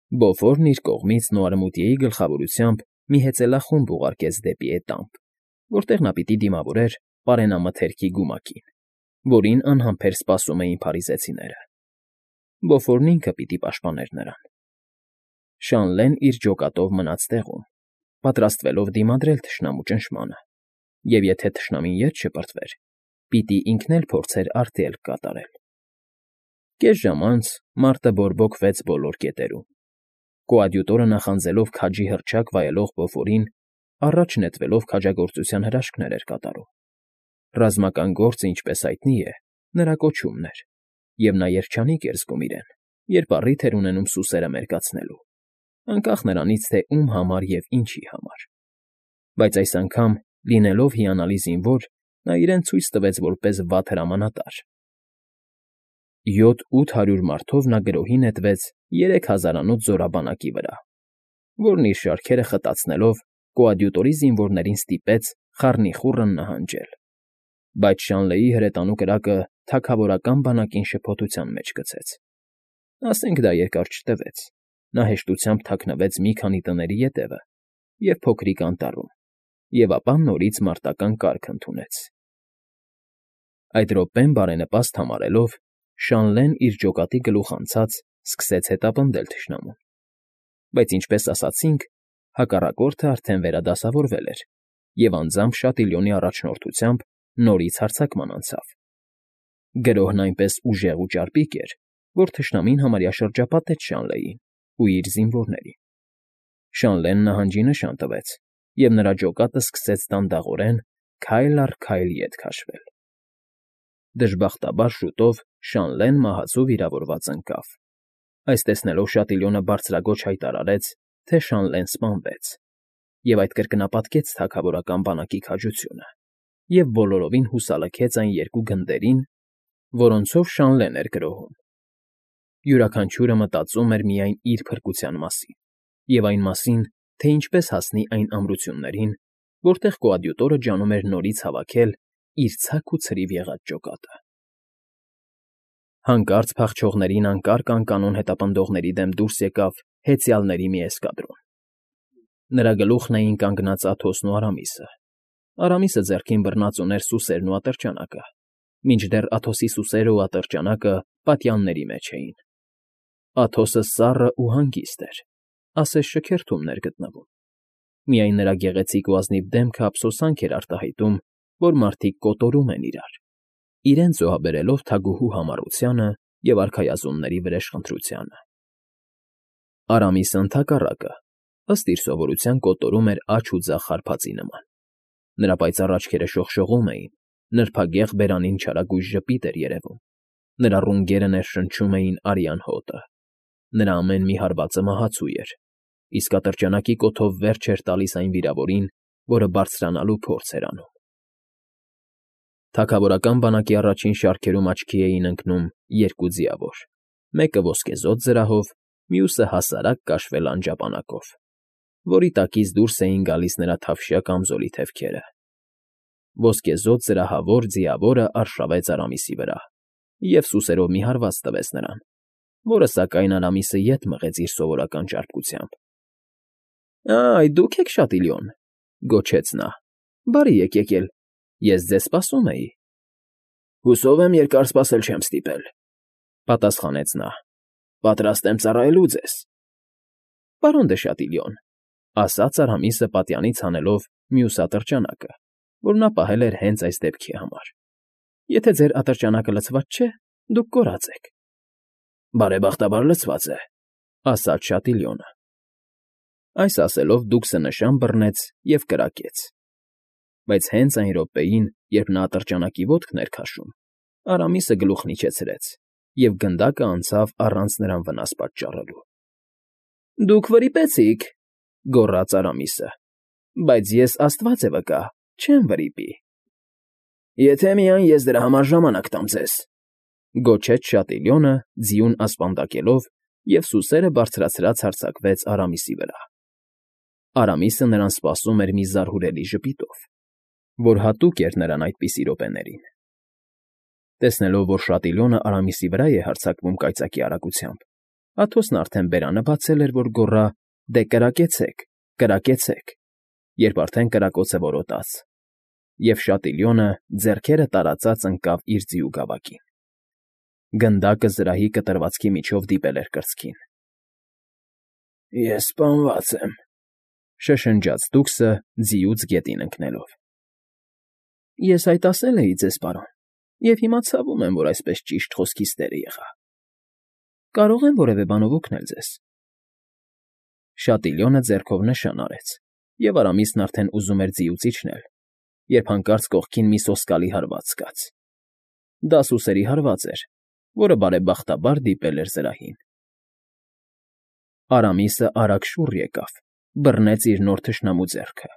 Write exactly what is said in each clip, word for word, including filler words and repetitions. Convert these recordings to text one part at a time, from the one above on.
Բոֆորն իր կողմից Նոարմուտիեի գլխավորությամբ մի հեծելախումբ ուղարկեց դեպի էտամբ, որտեղ նա պիտի դիմավորեր պարենամթերքի գումակին, որին անհամբեր սպասում էին փարիզեցիները. Բոֆորն ինքը պիտի պաշտպաներ նրան։ Շանլեն իր ջոկատով մնաց տեղում, պատրաստվելով դիմադրել թշնամու ճնշմանը, և եթե թշնամին ետ շպրտվեր, պիտի ինքն էլ փորձեր արգելք կատարել։ Կես ժամ անց մարտը բորբոքվեց բոլոր կետերում։ Կոադյուտորը նախանձելով քաջի հռչակ վայելող Բոֆորին, առաջ նետվելով քաջագործության հրաշքներ էր կատարում։ Ռազմական գործը, ինչպես հայտնի է, նրա կոչումն էր, և նա երջանիկ էր զգում իրեն, երբ առիթ էր ունենում սուսերը մերկացնելու, անկախ նրանից, թե ում համար և ինչի համար։ Բայց այս անգամ, լինելով հիանալի զինվոր, նա իրեն ցույց տվեց որպես վատ հրամանատար։ Յոթ֊ութ հարյուր մարդով նա գրոհի նետվեց երեք հազարանոց զորաբանակի վրա, որն իր շարքերը խտացնելով կոադյուտորի զինվորներին ստիպեց խառնիխուռն նահանջել։ Բայց Շանլեի հրետանու կրակը թագավորական բանակին շփոթության մեջ գցեց։ Ասենք դա երկար չտևեց, նա հեշտությամբ թաքնվեց մի քանի տների ետևը և փոքրիկ անտառում, և ապա նորից մարտական կարգ ընդունեց։ Այդ րոպեն բարենպաստ համարելով, Շանլեն իր ջոկատի գլուխ անցած սկսեց հետապնդել թշնամուն։ Բայց, ինչպես ասացինք, հակառակորդը արդեն վերադասավորվել էր և անձամբ Շատիլյոնի առաջնորդությամբ նորից հարձակման անցավ։ Գրոհն այնպես ուժեղ ու ճարպիկ էր, որ թշնամին համարյա շրջապատեց Շանլեին ու իր զինվորներին։ Շանլեն նահանջի նշան տվեց, և նրա ջոկատը սկսեց դանդաղորեն քայլ առ քայլ ետ քաշվել։ Դժբախտաբար շուտով Շանլեն մահացու վիրավորված ընկավ։ Այս տեսնելով Շատիլյոնը բարձրաձոչ հայտարարեց, թե Շանլեն սպանվեց, և այդ կրկնապատկեց թագավորական բանակի քաջությունը և բոլորովին հուսալքեց այն երկու գնդերին, որոնցով Շանլեն էր գրոհում։ Յուրաքանչյուրը մտածում էր միայն իր փրկության մասին և այն մասին, թե ինչպես հասնի այն ամրություններին, որտեղ կոադյուտորը ջանում էր նորից հավաքել իր ցաք ու ցրիվ եղած ջոկատը։ Հանկարծ փախչողներին անկարգ անկանոն հետապնդողների դեմ դուրս եկավ հեծյալների մի էսկադրոն։ Նրա գլուխն էին կանգնած Աթոսն ու Արամիսը։ Արամիսը ձեռքին բռնած ուներ սուսերն ու ատրճանակը, մինչդեռ Աթոսի սուսերն ու ատրճանակը պատյանների մեջ էին։ Աթոսը սառն ու հանգիստ էր, ասես շքերթում էր գտնվում։ Միայն նրա գեղեցիկ ու ազնիվ դեմքը ափսոսանք էր արտահայտում, որ մարդիկ կոտորում են իրար, իրենց զոհաբերելով թագուհու համառությանը և արքայազնների վրեժխնդրությանը։ Արամիսը ընդհակառակը, ըստ իր սովորության, կոտորում էր աջ ու ձախ հարբածի նման։ Նրա պայծառ աչքերը շողշողում էին, նրբագեղ բերանին չարագույժ ժպիտ էր երևում, նրա ռունգերը ներշնչում էին արյան հոտը, նրա ամեն մի հարվածը մահացու էր, իսկ ատրճանակի կոթով վերջ էր տալիս այն վիրավորին, որը բարձրանալու փորձ էր անում։ Թագավորական բանակի առաջին շարքերում աչքի էին ընկնում երկու ձիավոր, մեկը ոսկեզօծ զրահով, մյուսը հասարակ կաշվե լանջապանակով, որի տակից դուրս էին գալիս նրա թավշյա կամզոլի թևքերը։ Ոսկեզօծ զրահավոր ձիավորը արշավեց Արամիսի վրա և սուսերով մի հարված տվեց նրան, որը, սակայն, Արամիսը ետ մղեց իր սովորական ճարպկությամբ։ ֊ Այ, դուք եք Շատիլյոն,֊ գոչեց նա։֊ Բարի եք եկել, ես ձեզ սպասում էի։ ֊ Հուսով եմ երկար սպասել չեմ ստիպել,֊ պատասխանեց նա։֊ Պատրաստ եմ ծառայելու ձեզ։ ֊ Պարոն դը Շատիլյոն,֊ ասաց Արամիսը պատյանից հանելով մյուս ատրճանակը, որ նա պահել էր հենց այս դեպքի համար,֊ եթե ձեր ատրճանակը լցված չէ, դուք կորած եք։ ֊ Բարեբախտաբար լցված է,֊ ասաց Շատիլյոնը։ Այս ասելով դուքսը նշան բռնեց և կրակեց։ Բայց հենց այն րոպեին, երբ նա ատրճանակի ոտքն էր քաշում, Արամիսը գլուխն իջեցրեց, և գնդակը անցավ առանց նրան վնաս պատճառելու։ ֊ Դուք վրիպեցիք,֊ գոռաց Արամիսը,֊ բայց ես, աստված է վկա, չեմ վրիպի։ ֊ Եթե միայն ես դրա համար ժամանակ տամ ձեզ,֊ գոչեց Շատիլյոնը, ձիուն ասպանդակելով, և սուսերը բարձրացրած հարձակվեց Արամիսի վրա։ Արամիսը նրան սպասում էր մի զարհուրելի ժպիտով, որ հատուկ էր նրան այդպիսի րոպեներին։ Տեսնելով, որ Շատիլյոնը Արամիսի վրա է հարձակվում կայծակի արագությամբ, Աթոսն արդեն բերանը բացել էր, որ գոռա. «Դե կրակեցեք, կրակեցեք», երբ արդեն կրակոցը որոտաց, և Շատիլյոնը ձեռքերը տարածած ընկավ իր ձիու գավակին. գնդակը զրահի կտրվածքի միջով դիպել էր կրծքին։ ֊ Ես սպանված եմ,֊ շշնջաց դուքսը ձիուց գետին ընկնելով։ ֊ Ես այդ ասել էի ձեզ, պարոն, և հիմա ցավում եմ, որ այսպես ճիշտ խոսքիս տերը եղա։ Կարո՞ղ եմ որևէ բանով օգնել ձեզ։ Շատիլյոնը ձեռքով նշան արեց, և Արամիսն արդեն ուզում էր ձիուց իջնել, երբ հանկարծ կողքին մի սոսկալի հարված զգաց. դա սուսերի հարված էր, որը բարեբախտաբար դիպել էր զրահին։ Արամիսը արագ շուռ եկավ, բռնեց իր նոր թշնամու ձեռքը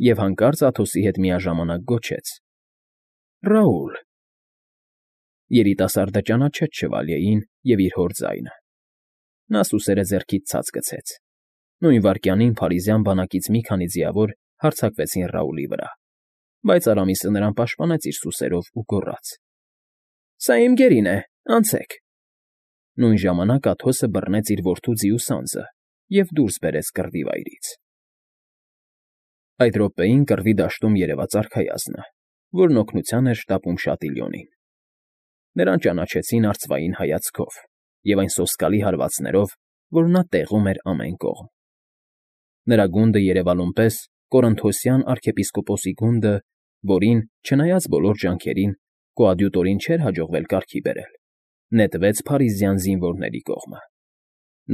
և հանկարծ Աթոսի հետ միաժամանակ գոչեց. «Ռաուլ»։ Երիտասարդը ճանաչեց շվալյեին և իր հոր ձայնը։ Նա սուսերը ձեռքից ցած գցեց։ Նույն վայրկյանին փարիզյան բանակից մի քանի ձիավոր հարձակվեցին Ռաուլի վրա, բայց Արամիսը նրան պաշտպանեց իր սուսերով ու գոռաց. «Սա իմ գերին է, անցեք»։ Նույն ժամանակ Աթոսը բռնեց իր որդու ձիու սանձը և դուրս բերեց կռվի վայրից։ Այդ րոպեին կռվի դաշտում երևաց արքայազնը, որն օգնության էր շտապում Շատիլյոնին։ Նրան ճանաչեցին արծվային հայացքով և այն սոսկալի հարվածներով, որ նա տեղում էր ամեն կողմ։ Նրա գունդը երևալուն պես կորինթոսյան արքեպիսկոպոսի գունդը, որին, չնայած բոլոր ջանքերին, կոադյուտորին չէր հաջողվել կարգի բերել, նետվեց փարիզյան զինվորների կողմը։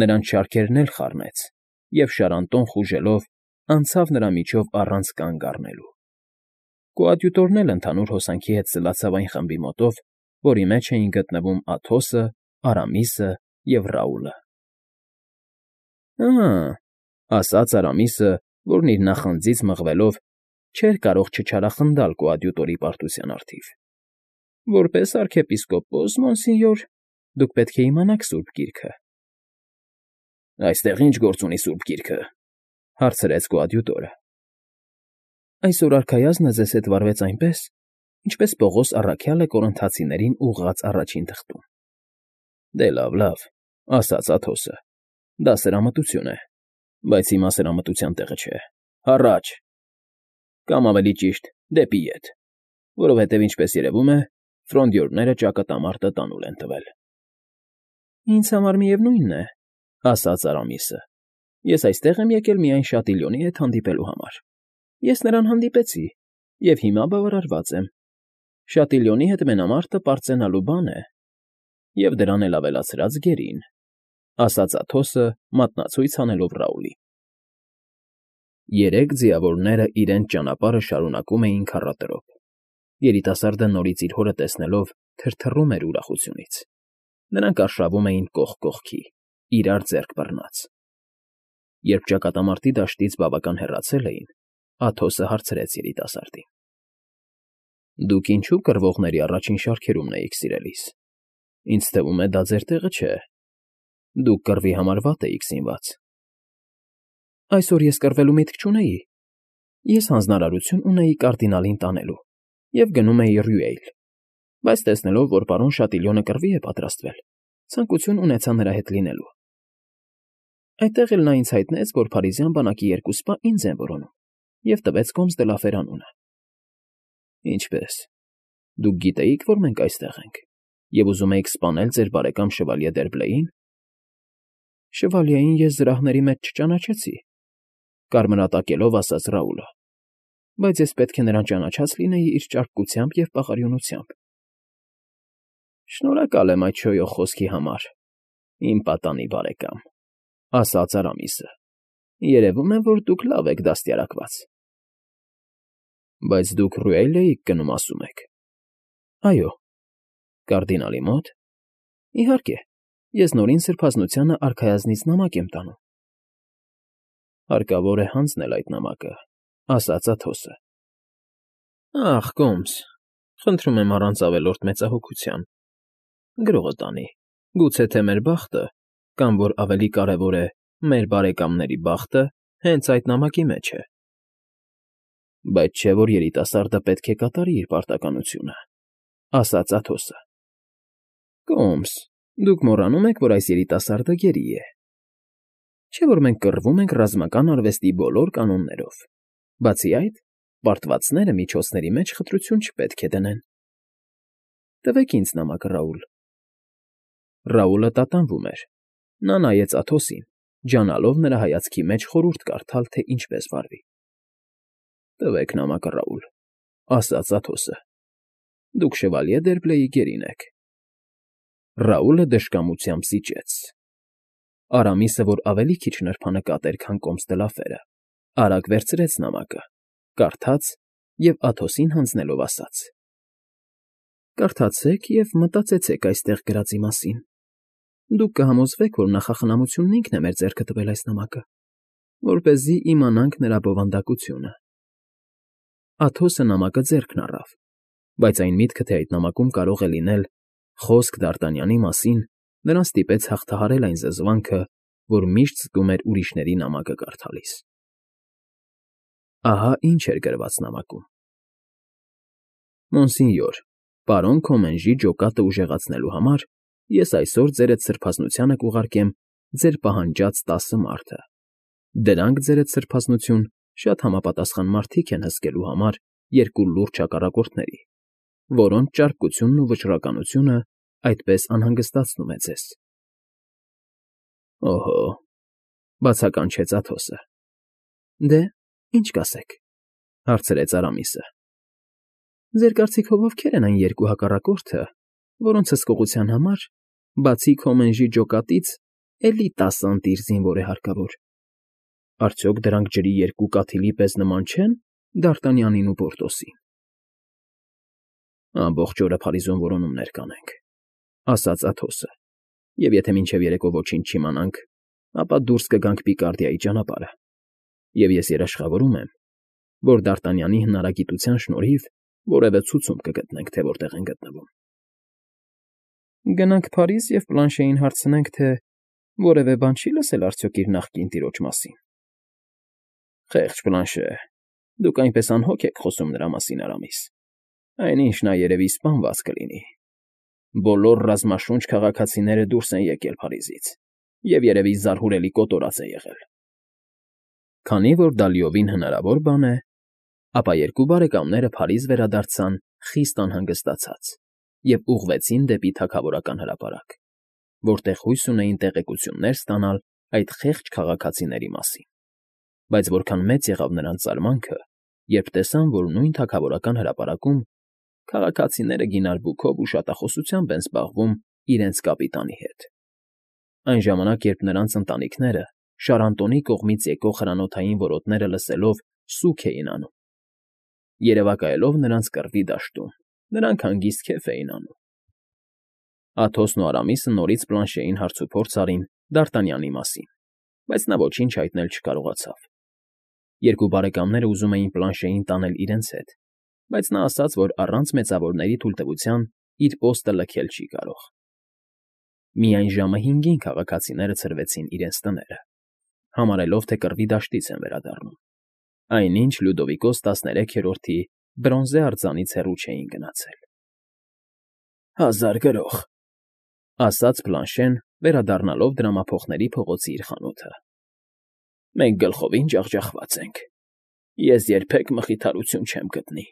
Նրանց շարքերն էլ խառնեց և, շարանտոն խուժելով, անցավ նրա միջով առանց կանգ առնելու։ Կոադյուտորն էլ ընդհանուր հոսանքի հետ սլացավ այն խմբի մոտով, որի մեջ էին գտնվում Աթոսը, Արամիսը և Ռաուլը։ «Ա՜,֊ ասաց Արամիսը, որն իր նախանձից մղվելով չէր կարող չչարախնդալ կոադյուտորի պարտության առթիվ,֊ որպես արքեպիսկոպոս, մոնսինյոր, դուք պետք է իմանաք Սուրբ Գիրքը»։ ֊ Այստեղ ի՞նչ գործ ունի Սուրբ Գիրքը,֊ հարցրեց կոադյուտորը։ ֊ Այսօր արքայազնը ձեզ հետ վարվեց այնպես, ինչպես Պողոս առաքյալը Կորինթացիներին ուղղած առաջին թղթում։ ֊ Դե լավ, լավ,֊ ասաց Աթոսը,֊ դա սրամտություն է, բայց հիմա սրամտության տեղը չէ, հառաչ, կամ ավելի ճիշտ դեպի ետ, որովհետև, ինչպես երևում է, ֆրոնդյորները ճակատամարտը տանուլ են տվել։ ֊ Ինձ համար միևնույն է,֊ ասաց Արամիսը,֊ ես այստեղ եմ եկել միայն Շատիլյոնի հետ հանդիպելու համար։ Ես նրան հանդիպեցի և հիմա բավարարված եմ։ Շատիլյոնի հետ մենամարտը պարծենալու բան է, և դրան էլ ավելացրած գերին,֊ ասաց Աթոսը, մատնացույց հանելով Ռաուլին։ Երեք ձիավորները իրենց ճանապարհը շարունակում էին քառատրոփ։ Երիտասարդը նորից իր հորը տեսնելով թրթռում էր ուրախությունից։ Նրանք արշավում էին կողք կողքի, իրար ձեռք բռնած։ Երբ ճակատամարտի դաշտից բավական հեռացել էին, Աթոսը հարցրեց երիտասարդին. ֊ Դուք ինչո՞ւ կռվողների առաջին շարքերումն էիք, սիրելիս։ Ինձ թվում է, դա ձեր տեղը չէ։ Դուք կռվի համար վատ էիք զինված։ ֊ Այսօր ես կռվելու միտք չունեի։ Ես հանձնարարություն ունեի կարդինալին տանելու և գնում էի Ռյուել, բայց տեսնելով, որ պարոն Շատիլյոնը կռվի է պատրաստվել, ցանկություն ունեցա նրա հետ լինելու։ Այդտեղ էլ նա ինձ հայտնեց, որ փարիզյան բանակի երկու սպա ինձ են որոնում և տվեց Կոմս դը Լաֆեր անունը։ ֊ Ինչպե՞ս, դուք գիտեիք, որ մենք այստեղ ենք և ուզում էիք սպանել ձեր բարեկամ շվալյե Դերբլեին։ ֊ Շվալյեին ես զրահների մեջ չճանաչեցի,֊ կարմրատակելով ասաց Ռաուլը,֊ բայց ես պետք է նրան ճանաչած լինեի իր ճարպկությամբ և պաղարիունությամբ։ ֊ Շնորհակալ եմ այդ շոյող խոսքի համար, իմ պատանի բարեկամ,֊ ասաց Արամիսը,֊ երևում է, որ դուք լավ եք դաստիարակված։ ֊ Բայց դուք Ռյուել էիք գնում, ասում եք։ ֊ Այո։ ֊ Կարդինալի մո՞տ։ ֊ Իհարկե, ես նորին սրբազնությանը արքայազնից նամակ եմ տանում։ ֊ Հարկավոր է հանձնել այդ նամակը,֊ ասաց Աթոսը։ ֊ Ախ, Կոմս, խնդրում եմ առանց ավելորդ մեծահոգության, գրողը տանի, գուցե թե մեր բախտը, կամ, որ ավելի կարևոր է, մեր բարեկամների բախտը հենց այդ նամակի մեջ է։ ֊ Բայց չէ՞ որ երիտասարդը պետք է կատարի իր պարտականությունը,֊ ասաց Աթոսը։ ֊ Կոմս, Դուք մոռանում եք, որ այս երիտասարդը գերի է։ Չէ՞ որ մենք կռվում ենք ռազմական արվեստի բոլոր կանոններով, բացի այդ, պարտվածները միջոցների մեջ խտրություն չպետք է դնեն։ Տվեք ինձ նամակը, Ռաուլ։ Ռաուլը տատանվում էր։ Նա նայեց Աթոսին, ջանալով նրա հայացքի մեջ խորհուրդ կարդալ, թե ինչպես վարվի։ Տվեք նամակը, Ռաուլ, ասաց Աթոսը։ Դուք Շևալյե Դերբլեի գերին եք։ Ռաուլը դժկամությամբ սիճեց։ Արամիսը, որ ավելի քիչ նրբանկատ էր, քան կոմստելաֆերը, արագ վերցրեց նամակը, կարդաց և Աթոսին հանձնելով ասաց. Կարդացեք և մտածեցեք այստեղ գրածի մասին։ Դուք կհամոզվեք, որ նախախնամությունն ինքն է մեր ձեռքը տվել այս նամակը, որպեսզի իմանանք նրա բովանդակությունը։ Աթոսը նամակը ձեռքն առավ, բայց այն միտքը, թե այդ նամակում կարող է լինել խոսք Դ'Արտանյանի մասին, նրան ստիպեց հաղթահարել այն զզվանքը, որ միշտ զգում էր ուրիշների նամակը կարդալիս։ Ահա ինչ էր գրված նամակում. Մոնսինյոր, պարոն Քոմենժի ջոկատը ուժեղացնելու համար ես այսօր ձերդ սրբազնությանը կուղարկեմ ձեր պահանջած տասը մարդը։ Դրանք, ձերդ սրբազնություն, շատ համապատասխան մարդիկ են հսկելու համար երկու լուրջ հակառակորդների, որոնց ճարպկությունն ու վճռականությունը այդպես անհանգստացնում է ձեզ։ Օհո, բացականչեց Աթոսը։ Դե, ինչ կասեք, հարցրեց Արամիսը։ Ձեր կարծիքով ովքեր են այն երկու հակառակորդը, որոնց հսկողության համար, բացի Քոմենժի ջոկատից, էլի տասը ընտիր զինվոր է հարկավոր։ Արդյոք դրանք ջրի երկու կաթիլի պես նման չե՞ն Դ'Արտանյանին ու Պորտոսին։ Ամբողջ օրը Փարիզում որոնումներ կանենք, ասաց Աթոսը, և եթե մինչև երեկո ոչինչ չիմանանք, ապա դուրս կգանք Պիկարդիայի ճանապարհը, և ես երաշխավորում եմ, որ Դ'Արտանյանի հնարագիտության շնորհիվ որևէ ցուցում կգտնենք, թե որտեղ են գտնվում։ Գնանք Փարիզ և Պլանշեին հարցնենք, թե որևէ բան չի՞ լսել արդյոք իր նախկին տիրոջ մասին։ Խեղճ Պլանշե, դուք այնպես անհոգ եք խոսում նրա մասին, Արամիս։ Այնինչ նա երևի սպանված կլինի։ Բոլոր ռազմաշունչ քաղաքացիները դուրս են եկել Փարիզից և երևի զարհուրելի կոտորած է եղել։ Քանի որ դա լիովին հնարավոր բան է, ապա երկու բարեկամները Փարիզ վերադարձան խիստ անհանգստացած և ուղղվեցին դեպի թագավորական հրապարակ, որտեղ հույս ունեին տեղեկություններ ստանալ այդ խեղճ քաղաքացիների մասին։ Բայց որքան մեծ եղավ նրանց զարմանքը, երբ տեսան, որ նույն թագավորական հրապարակում քաղաքացիները գինար֊բուքով ու շատախոսությամբ են զբաղվում իրենց կապիտանի հետ։ Այն ժամանակ, երբ նրանց ընտանիքները Շարանտոնի կողմից եկող հրանոթային որոտները լսելով սուգ էին անում, երևակայելով նրանց կռվի դաշտում, նրանք հանգիստ քեֆ էին անում։ Աթոսն ու Արամիսը նորից Պլանշեին հարցուփորձ արին Դ'Արտանյանի մասին, բայց նա ոչինչ հայտնել չկարողացավ։ Երկու բարեկամները ուզում էին Պլանշեին տանել իրենց հետ, բայց նա ասաց, որ առանց մեծավորների թույլտվության իր պոստը լքել չի կարող։ Միայն ժամը հինգին քաղաքացիները ցրվեցին իրենց տները, համարելով, թե կռվի դաշտից են վերադառնում, այնինչ Լյուդովիկոս տասներեքերորդի բրոնզե արձանից հեռու չէին գնացել։ Հազար գրող, ասաց Պլանշեն, վերադառնալով դրամափոխների փողոցի իր խանութը։ Մենք գլխովին ջախջախված ենք։ Ես երբեք մխիթարություն չեմ գտնի։